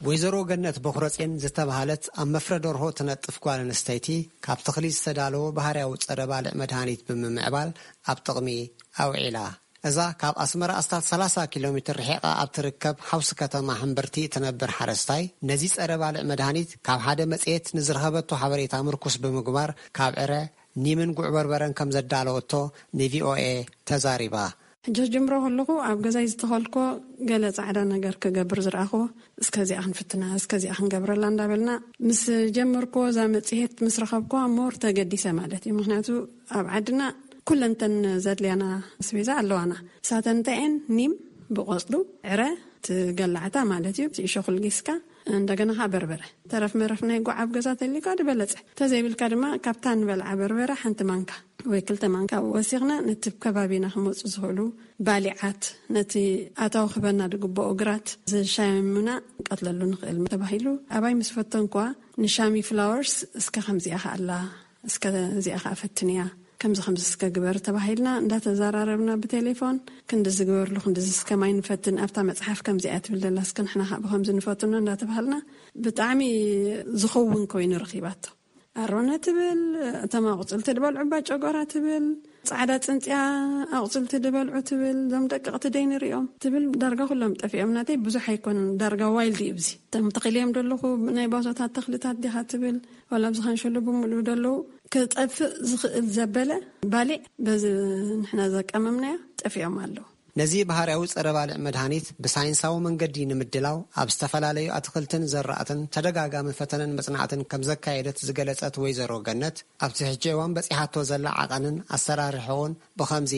ወይዘሮ ገነት ቦኽረጼን ዝተባህለት ኣብ መፍረ ደርሆ ትነጥፍ ጓል ኣንስተይቲ፣ ካብ ተኽሊ ዝተዳለወ ባህርያዊ ጸረ ባልዕ መድሃኒት ብምምዕባል ኣብ ጥቕሚ ኣውዒላ። እዛ ካብ ኣስመራ ኣስታት ሰላሳ ኪሎ ሜትር ርሒቓ ኣብ ትርከብ ሓውሲ ከተማ ሕምብርቲ እትነብር ሓረስታይ፣ ነዚ ጸረ ባልዕ መድሃኒት ካብ ሓደ መጽሔት ንዝረኸበቶ ሓበሬታ ምርኩስ ብምግባር፣ ካብ ዕረ፣ ኒምን ጉዕ በርበረን ከም ዘዳለወቶ ንቪኦኤ ተዛሪባ። ሕጂ ክጅምሮ ከለኹ ኣብ ገዛይ ዝተኸልኮ ገለ ጻዕዳ ነገር ክገብር ዝረኣኹዎ፣ እስከዚኣ ክንፍትና፣ እስከዚኣ ክንገብረላ እንዳበልና ምስ ጀመርኩዎ፣ እዛ መጽሔት ምስ ረኸብኩዋ ሞር ተገዲሰ ማለት እዩ። ምኽንያቱ ኣብ ዓድና ኩለንተን ዘድልያና ኣስቤዛ ኣለዋና። ንሳተን እንታይ እየን? ኒም ብቆጽሉ፣ ዕረ፣ ትገላዕታ ማለት እዩ፣ እቲ እሾኽ ልጊስካ፣ እንደገና ኸዓ በርበረ። ተረፍ መረፍ ናይ ጓዕ ኣብ ገዛ ተልዩካ ዝበለጸ። ተዘይብልካ ድማ ካብታ ንበልዓ በርበረ ሓንቲ ማንካ ወይ ክልተ ማንካ ወሲኽና ነቲ ከባቢና ክመጹ ዝኽእሉ ባሊዓት፣ ነቲ ኣታዊ ክህበና ዝግብኦ ግራት ዝሻምና ንቀትለሉ ንኽእል ተባሂሉ። ኣባይ ምስ ፈተንኳ ንሻሚ ፍላወርስ እስከ ከምዚኣ ከኣላ፣ እስከ እዚኣ ከኣ ፈትንያ፣ ከምዚ ከምዚ እስከ ግበር ተባሂልና እንዳተዘራረብና ብቴሌፎን፣ ክንድዚ ግበርሉ፣ ክንድዚ እስከ ማይ ንፈትን፣ ኣብታ መጽሓፍ ከምዚኣ ትብል ዘላ እስከ ንሕና ከኣ ብከምዚ ንፈትኖ እንዳተባሃልና ብጣዕሚ ዝኸውን ኮይኑ ረኺባቶ። ኣሮነ ትብል፣ እቶም ኣቑጽልቲ ዝበልዑ ባጨጎራ ትብል፣ ጻዕዳ ጽንጽያ ኣቑጽልቲ ዝበልዑ ትብል፣ እዞም ደቀቕቲ ደይ ንሪኦም ትብል፣ ዳርጋ ኩሎም ጠፊኦም። ናተይ ብዙሕ ኣይኮኑን፣ ዳርጋ ዋይልድ እዩ። እዚ እቶም ተኽልዮም ዘለኹ ናይ ባዞታት ተኽልታት ዲኻ ትብል፣ ዋላ ኣብዚ ከንሸሉ ብምሉኡ ዘለዉ ክጠፍእ ዝኽእል ዘበለ ባሊዕ በዚ ንሕና ዘቀመምናዮ ጠፊኦም ኣለዉ። ነዚ ባህርያዊ ጸረ ባልዕ መድሃኒት ብሳይንሳዊ መንገዲ ንምድላው ኣብ ዝተፈላለዩ ኣትኽልትን ዘራእትን ተደጋጋሚ ፈተነን መጽናዕትን ከም ዘካየደት ዝገለጸት ወይዘሮ ገነት፣ ኣብቲ ሕጂ እዋን በጺሓቶ ዘላ ዓቐንን ኣሰራርሕኡን ብኸምዚ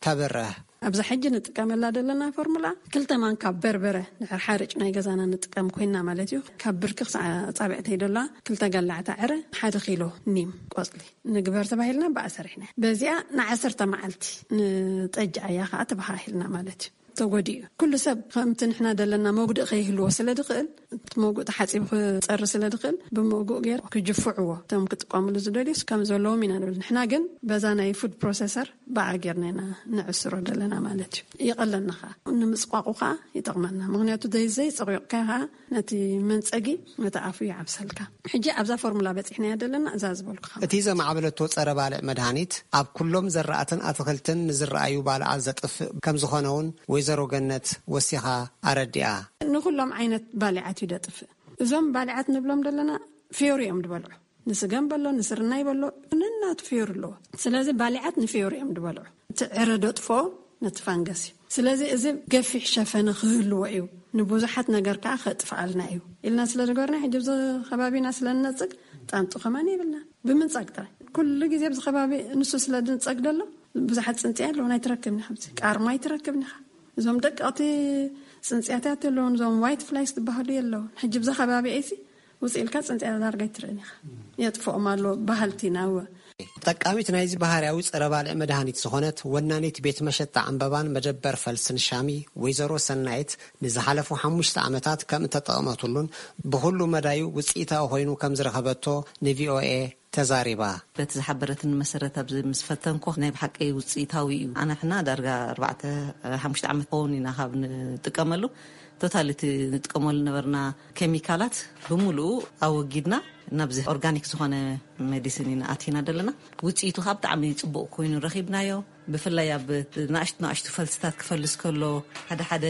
ተብርህ። ኣብዛ ሕጂ ንጥቀመላ ዘለና ፎርሙላ ክልተ ማንካ በርበረ ድሕሪ ሓርጭ ናይ ገዛና ንጥቀም ኮይና ማለት እዩ። ካብ ብርኪ ክሳዕ ኣጻብዕተይ ደላ ክልተ ገላዕታ ዕረ፣ ሓደ ኪሎ ኒም ቆጽሊ ንግበር ተባሂልና ብኣ ሰሪሕና። በዚኣ ንዓሰርተ መዓልቲ ንጠጅ ኣያ ከኣ ተበሃሂልና ማለት እዩ። ተጎዲኡ እዩ። ኩሉ ሰብ ከምቲ ንሕና ደለና መጉድእ ከይህልዎ ስለ ድኽእል፣ እቲ መጉእ ተሓጺቡ ክጸሪ ስለ ድኽእል፣ ብመጉእ ገይሩ ክጅፍዕዎ፣ እቶም ክጥቀምሉ ዝደልዩስ ከም ዘለዎም ኢና ንብል። ንሕና ግን በዛ ናይ ፉድ ፕሮሰሰር ብኣ ጌርና ኢና ንዕስሮ ደለና ማለት እዩ። ይቐለልና ኸኣ፣ ንምጽቋቑ ኸኣ ይጠቕመና። ምኽንያቱ ዘይ-፣ ዘይጸቒቕካዮ ኸኣ ነቲ መንጸጊ ነቲ ኣፉ ይዓብሰልካ። ሕጂ ኣብዛ ፎርሙላ በጺሕናያ ደለና፣ እዛ ዝበልኩኻ። እቲ ዘማዕበለቶ ጸረ ባልዕ መድሃኒት ኣብ ኩሎም ዘራእትን ኣትኽልትን ንዝረኣዩ ባልዓት ዘጥፍእ ከም ዝኾነ እውን ወይዘሮ ገነት ወሲኻ ኣረዲኣ። ንኹሎም ዓይነት ባልዓት እዩ ደጥፍእ። እዞም ባልዓት ንብሎም ደለና ፍዮሪ እዮም ዝበልዑ። ንስገም በሎ፣ ንስርናይ በሎ፣ ነናቱ ፍዮሪ ኣለዎ። ስለዚ ባልዓት ንፍዮሪ እዮም ዝበልዑ። እቲ ዕረ ደጥፍኦ ነቲ ፋንገስ እዩ። ስለዚ እዚ ገፊሕ ሸፈነ ክህልዎ እዩ፣ ንብዙሓት ነገር ከኣ ከጥፍኣልና እዩ ኢልና ስለ ዝገበርና፣ ሕጂ ኣብዚ ከባቢና ስለ ንነጽግ ጣንጡ ከማን የብልና። ብምንጻግ ጥራይ። ኩሉ ግዜ ኣብዚ ከባቢ ንሱ ስለ ዝንጸግ ደሎ፣ ብዙሓት ጽንጽያ ኣለዉ፣ ኣይትረክብን ኢኻ። ኣብዚ ቃርማ ኣይትረክብን ኢኻ። እዞም ደቀቕቲ ጽንጽያታት ኣለዉን፣ እዞም ዋይት ፍላይስ ዝበሃሉ የለዉን። ሕጂ ኣብዚ ከባቢ ኤሲ ውጽእ ኢልካ ጽንጽያ ዳርጋ ኣይትርእን ኢኻ። የጥፍኦም ኣሎ በሃልቲ ኢና። እወ። ተጠቃሚት ናይዚ ባህርያዊ ጸረ ባልዕ መድሃኒት ዝኾነት ወናኒት ቤት መሸጣ ዕምበባን መደበር ፈልስን ሻሚ ወይዘሮ ሰናይት፣ ንዝሓለፉ ሓሙሽተ ዓመታት ከም እተጠቐመትሉን ብኹሉ መዳዩ ውጽኢታዊ ኮይኑ ከም ዝረኸበቶ ንቪኦኤ ተዛሪባ። በቲ ዝሓበረትኒ መሰረት ኣብዚ ምስ ፈተንኩ ናይ ብሓቂ ውጽኢታዊ እዩ። ኣነ ሕና ዳርጋ ኣርባዕተ ሓሙሽተ ዓመት ክኸውን ኢና ካብ ንጥቀመሉ። ቶታሊ እቲ ንጥቀመሉ ነበርና ኬሚካላት ብምሉኡ ኣወጊድና ናብዚ ኦርጋኒክ ዝኾነ ሜዲሲን ኢና ኣቲና ዘለና። ውጽኢቱ ካብ ብጣዕሚ ጽቡቕ ኮይኑ ረኺብናዮ። ብፍላይ ኣብ ናእሽቱ ናእሽቱ ፈልስታት ክፈልስ ከሎ፣ ሓደ ሓደ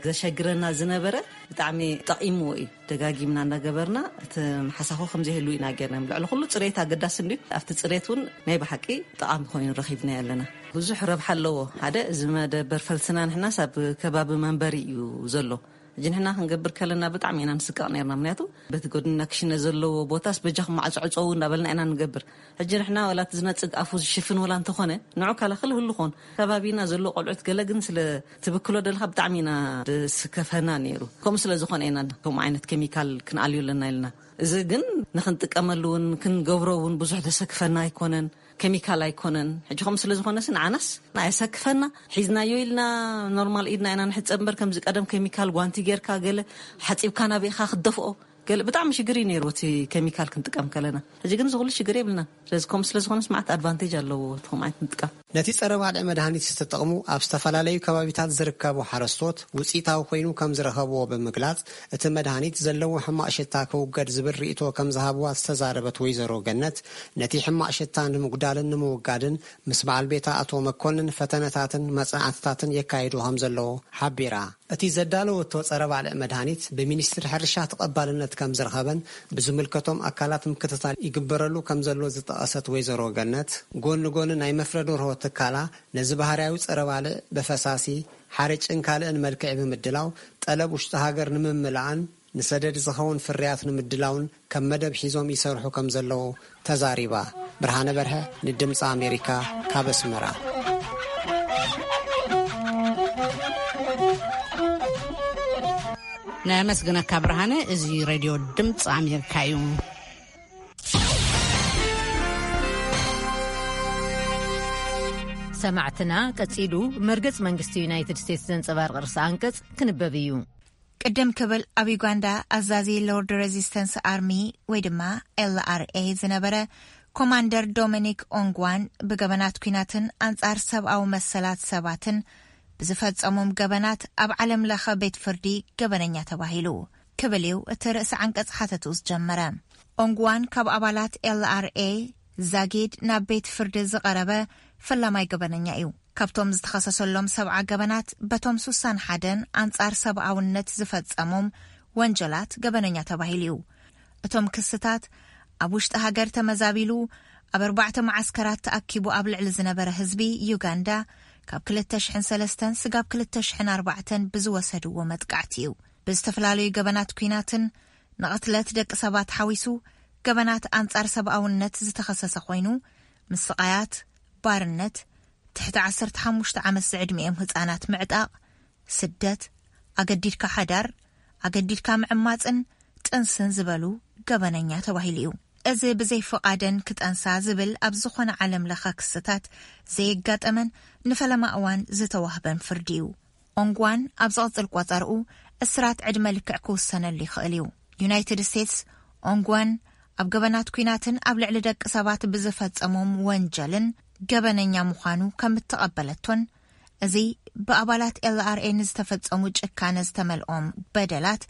ዘሸግረና ዝነበረ ብጣዕሚ ጠቒምዎ እዩ። ደጋጊምና እናገበርና እቲ ሓሳኹ ከም ዘይህሉ ኢና ጌርና። ልዕሊ ኩሉ ጽሬት ኣገዳሲ እንድዩ። ኣብቲ ጽሬት እውን ናይ ብሓቂ ጠቓሚ ኮይኑ ረኺብናዮ ኣለና። ብዙሕ ረብሓ ኣለዎ። ሓደ፣ እዚ መደበር ፈልስና ንሕናስ ኣብ ከባቢ መንበሪ እዩ ዘሎ። ሕጂ ንሕና ክንገብር ከለና ብጣዕሚ ኢና ንስቀቕ ነርና። ምክንያቱ በቲ ጎድንና ክሽነ ዘለዎ ቦታስ በጃኹም ማዕጾ ዕጸዉ እንዳበልና ኢና ንገብር። ሕጂ ንሕና ዋላ እቲ ዝነጽግ ኣፉ ዝሽፍን ዋላ እንተኾነ፣ ንዑ ካላኸል ህሉ ኾን ከባቢና ዘሎ ቆልዑት ገለ ግን ስለ ትብክሎ ደለኻ ብጣዕሚ ኢና ዝስከፈና ነይሩ። ከምኡ ስለ ዝኾነ ኢና ከምኡ ዓይነት ኬሚካል ክንኣልዮ ኣለና ኢልና። እዚ ግን ንኽንጥቀመሉ እውን ክንገብሮ እውን ብዙሕ ዘሰክፈና ኣይኮነን። ኬሚካል ኣይኮነን። ሕጂ ከም ስለ ዝኾነስ ንዓናስ ኣየሰክፈና። ሒዝናዮ ኢልና ኖርማል ኢድና ኢና ንሕጸብ እምበር፣ ከምዚ ቀደም ኬሚካል ጓንቲ ጌርካ ገለ ሓጺብካ ናበይኻ ክትደፍኦ ገለ ብጣዕሚ ሽግር እዩ ነይሩ እቲ ኬሚካል ክንጥቀም ከለና። ሕጂ ግን ዝኹሉ ሽግር የብልና። ስለዚ ከም ስለ ዝኾነስ መዓት ኣድቫንቴጅ ኣለዎ እቲ ከምዓት ምጥቃም። ነቲ ጸረ ባልዕ መድሃኒት ዝተጠቕሙ ኣብ ዝተፈላለዩ ከባቢታት ዝርከቡ ሓረስቶት ውጽኢታዊ ኮይኑ ከም ዝረኸብዎ ብምግላጽ፣ እቲ መድሃኒት ዘለዎ ሕማቕ ሽታ ክውገድ ዝብል ርእይቶ ከም ዝሃብዋ ዝተዛረበት ወይዘሮ ገነት፣ ነቲ ሕማቕ ሽታ ንምጉዳልን ንምውጋድን ምስ በዓል ቤታ ኣቶ መኮንን ፈተነታትን መጽናዕትታትን የካይዱ ከም ዘለዉ ሓቢራ። እቲ ዘዳለወቶ ጸረ ባልዕ መድሃኒት ብሚኒስትሪ ሕርሻ ተቐባልነት ከም ዝረኸበን ብዝምልከቶም ኣካላት ምክትታል ይግበረሉ ከም ዘሎ ዝጠቐሰት ወይዘሮ ገነት፣ ጎኒ ጎኒ ናይ መፍረ ደርሆ ትካላ ነዚ ባህርያዊ ጸረ ባልዕ ብፈሳሲ፣ ሓርጭን ካልእን መልክዕ ብምድላው፣ ጠለብ ውሽጢ ሃገር ንምምላእን ንሰደድ ዝኸውን ፍርያት ንምድላውን ከም መደብ ሒዞም ይሰርሑ ከም ዘለዉ ተዛሪባ። ብርሃነ በርሀ ንድምፂ ኣሜሪካ ካብ ኣስመራ። ነመስግነካ ብርሃነ። እዚ ሬድዮ ድምፂ ኣሜሪካ እዩ። ሰማዕትና፣ ቀጺሉ መርገጽ መንግስቲ ዩናይትድ ስቴትስ ዘንጸባርቕ ርእሰ ኣንቀጽ ክንበብ እዩ። ቅድም ክብል ኣብ ዩጋንዳ ኣዛዚ ሎርድ ሬዚስተንስ ኣርሚ ወይ ድማ ኤልኣርኤ ዝነበረ ኮማንደር ዶሚኒክ ኦንግዋን ብገበናት ኲናትን ኣንጻር ሰብኣዊ መሰላት ሰባትን ብዝፈጸሞም ገበናት ኣብ ዓለም ለኸ ቤት ፍርዲ ገበነኛ ተባሂሉ ክብል እዩ እቲ ርእሲ ዓንቀጽ ሓተቱ ዝጀመረ። ኦንግዋን ካብ ኣባላት ኤልኣርኤ ዛጊድ ናብ ቤት ፍርዲ ዝቐረበ ፈላማይ ገበነኛ እዩ። ካብቶም ዝተኸሰሰሎም ሰብዓ ገበናት በቶም ሱሳን ሓደን ኣንጻር ሰብኣውነት ዝፈጸሞም ወንጀላት ገበነኛ ተባሂሉ እዩ። እቶም ክስታት ኣብ ውሽጢ ሃገር ተመዛቢሉ ኣብ ኣርባዕተ መዓስከራት ተኣኪቡ ኣብ ልዕሊ ዝነበረ ህዝቢ ዩጋንዳ ካብ ክልተ ሽሕን ሰለስተን ስጋብ ክልተ ሽሕን ኣርባዕተን ብዝወሰድዎ መጥቃዕቲ እዩ። ብዝተፈላለዩ ገበናት ኲናትን ንቕትለት ደቂ ሰባት ሓዊሱ ገበናት ኣንጻር ሰብኣውነት ዝተኸሰሰ ኮይኑ፣ ምስቓያት፣ ባርነት፣ ትሕቲ ዓሰርተ ሓሙሽተ ዓመት ዝዕድሚኦም ህጻናት ምዕጣቕ፣ ስደት፣ ኣገዲድካ ሓዳር፣ ኣገዲድካ ምዕማጽን ጥንስን ዝበሉ ገበነኛ ተባሂሉ እዩ። እዚ ብዘይ ፍቓደን ክጠንሳ ዝብል ኣብ ዝኾነ ዓለም ለኸ ክስታት ዘየጋጠመን ንፈለማ እዋን ዝተዋህበን ፍርዲ እዩ። ኦንግዋን ኣብ ዝቕጽል ቆጸርኡ እስራት ዕድመ ልክዕ ክውሰነሉ ይኽእል እዩ። ዩናይትድ ስቴትስ ኦንግዋን ኣብ ገበናት ኲናትን ኣብ ልዕሊ ደቂ ሰባት ብዝፈጸሞም ወንጀልን ገበነኛ ምዃኑ ከም እተቐበለቶን፣ እዚ ብኣባላት ኤልኣርኤ ንዝተፈጸሙ ጭካነ ዝተመልኦም በደላት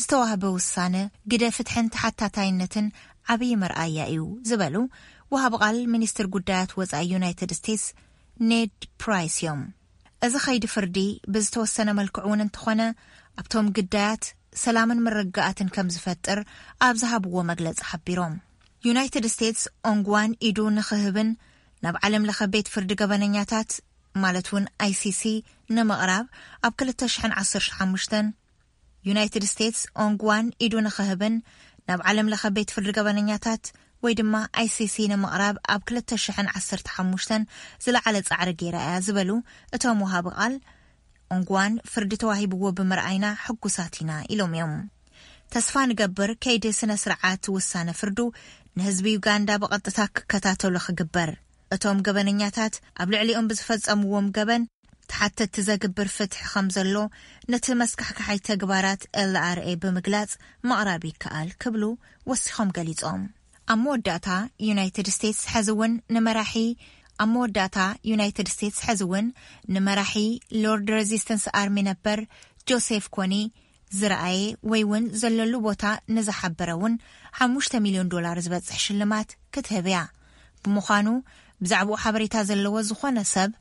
ዝተዋህበ ውሳነ ግደ ፍትሕን ተሓታታይነትን ዓብዪ መርኣያ እዩ ዝበሉ ወሃቢ ቃል ሚኒስትር ጉዳያት ወጻኢ ዩናይትድ ስቴትስ ኔድ ፕራይስ እዮም። እዚ ኸይዲ ፍርዲ ብዝተወሰነ መልክዕ እውን እንተኾነ ኣብቶም ግዳያት ሰላምን ምርግጋኣትን ከም ዝፈጥር ኣብ ዝሃብዎ መግለጺ ሓቢሮም። ዩናይትድ ስቴትስ ኦንግዋን ኢዱ ንኽህብን ናብ ዓለም ለኸ ቤት ፍርዲ ገበነኛታት ማለት እውን ኣይሲሲ ንምቕራብ ኣብ ክልተ ሽሕን ዓሰርተ ሓሙሽተን ዩናይትድ ስቴትስ ኦንግዋን ኢዱ ንኽህብን ናብ ዓለም ለኸ ቤት ፍርዲ ገበነኛታት ወይ ድማ ኣይሲሲ ንምቕራብ ኣብ ክልተ ሽሕን ዓሰርተ ሓሙሽተን ዝለዓለ ጻዕሪ ገይራ እያ ዝበሉ እቶም ወሃቢ ቃል፣ ኦንግዋን ፍርዲ ተዋሂብዎ ብምርኣይና ሕጉሳት ኢና ኢሎም እዮም። ተስፋ ንገብር ከይዲ ስነ ስርዓት ውሳነ ፍርዱ ንህዝቢ ዩጋንዳ ብቐጥታ ክከታተሉ ክግበር፣ እቶም ገበነኛታት ኣብ ልዕሊኦም ብዝፈጸምዎም ገበን ተሓተቲ ዘግብር ፍትሒ ከም ዘሎ ነቲ መስካሕካሓይ ተግባራት ኤልኣርኤ ብምግላጽ ምቕራብ ይከኣል ክብሉ ወሲኾም ገሊጾም። ኣብ መወዳእታ ዩናይትድ ስቴትስ ሕዚ እውን ንመራሒ ኣብ መወዳእታ ዩናይትድ ስቴትስ ሕዚ እውን ንመራሒ ሎርድ ሬዚስተንስ ኣርሚ ነበር ጆሴፍ ኮኒ ዝረኣየ ወይ እውን ዘለሉ ቦታ ንዝሓበረ እውን ሓሙሽተ ሚልዮን ዶላር ዝበጽሕ ሽልማት ክትህብ እያ። ብምዃኑ ብዛዕባኡ ሓበሬታ ዘለዎ ዝኾነ ሰብ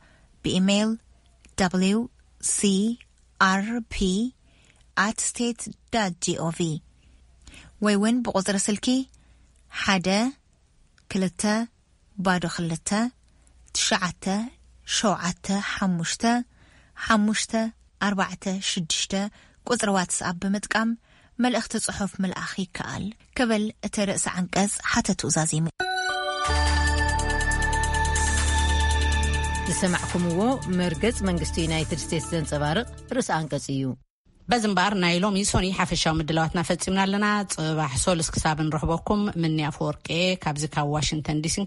ብኢሜይል wcrp at state dot gov ወይ እውን ብቁጽሪ ስልኪ ሓደ ክልተ ባዶ ክልተ ትሽዓተ ሸውዓተ ሓሙሽተ ሓሙሽተ ኣርባዕተ ሽዱሽተ ቁጽሪ ዋትስኣፕ ብምጥቃም መልእኽቲ ጽሑፍ ምልኣኽ ይከኣል፣ ክብል እቲ ርእሰ ዓንቀጽ ሓተትኡ ዛዚሙ። ዝሰማዕኩምዎ መርገጽ መንግስቲ ዩናይትድ ስቴትስ ዘንጸባርቕ ርእሰ ዓንቀጽ እዩ። በዚ እምበኣር ናይ ሎሚ ሶኒ ሓፈሻዊ ምድላዋትና ፈጺምና ኣለና። ጽባሕ ሶሉስ ክሳብ ንረኽበኩም፣ ምኒ ኣፈወርቂ ካብዚ ካብ ዋሽንግተን ዲሲን